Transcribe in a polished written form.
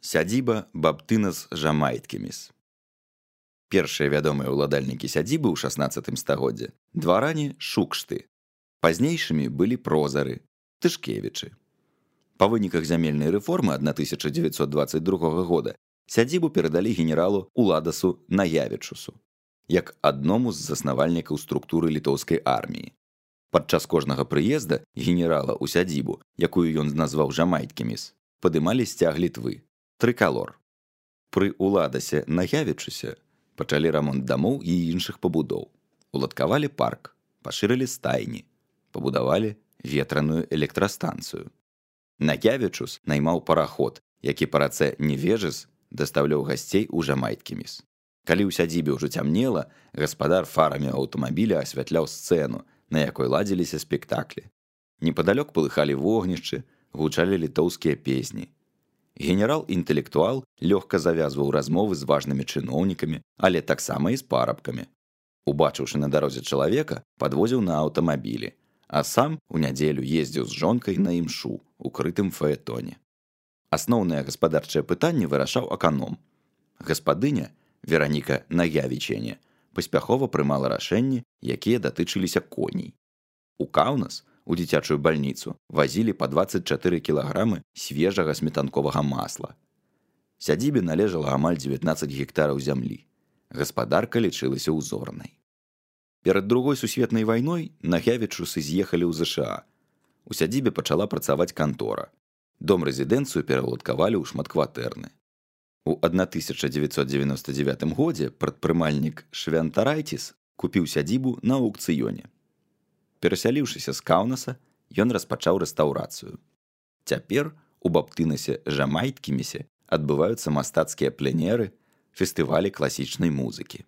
Сядзіба Баптынас Жамайткіміс. Першыя вядомыя ўладальнікі сядзібы ў 16 стагоддзі дваране Шукшты. Пазнейшымі былі прозары, Тышкевічы. Па выніках зямельнай рэформы 1922 года сядзібу перадалі генералу Уладасу Наявічусу, як адному з заснавальнікаў структуры літоўскай арміі. Падчас кожнага прыезда генерала ў сядзібу, якую ён назваў Жамайткіміс, падымалі сцяг Літвы, трыкалор. Пры Уладасе Наявічусе пачалі рамонт дамоў і іншых пабудоў, уладкавалі парк, пашырылі стайні, пабудавалі ветраную электрастанцыю. Наявічус наймаў параход, які па рацэ Невежыс дастаўляў гасцей у Жамайткіміс. Калі ў сядзібе ўжо цямнела, гаспадар фарамі аўтамабіля асвятляў сцэну, на якой ладзіліся спектаклі. Непадалёк палыхалі вогнішчы, гучалі літоўскія песні. Генерал-інтэлектуал лёгка завязваў размовы з важнымі чыноўнікамі, але таксама і з парабкамі. Убачыўшы на дарозе чалавека, падвозіў на аўтамабілі, а сам у нядзелю ездзіў з жонкай на імшу у крытым фаэтоне. Асноўнае гаспадарчае пытанне вырашаў аканом. Гаспадыня, Вераніка Наявічене, паспяхова прымала рашэнні, якія датычыліся коней. У Каўнас, у дзіцячую бальніцу, вазілі па 24 кілаграмы свежага сметанковага масла. Сядзібе належала амаль 19 гектараў зямлі. Гаспадарка лічылася ўзорнай. Перад Другой сусветнай вайной Наявічусы з'ехалі ў ЗША. У сядзібе пачала працаваць кантора. Дом-рэзідэнцыю пераўладкавалі ў шматкватэрны. У 1999 годзе прадпрымальнік Швянтарайціс купіў сядзібу на аўкцыёне. Перасяліўшыся з Каўнаса, ён распачаў рэстаўрацыю. Цяпер у Баптынасе Жамайткімісе адбываюцца мастацкія пленеры, фестывалі класічнай музыкі.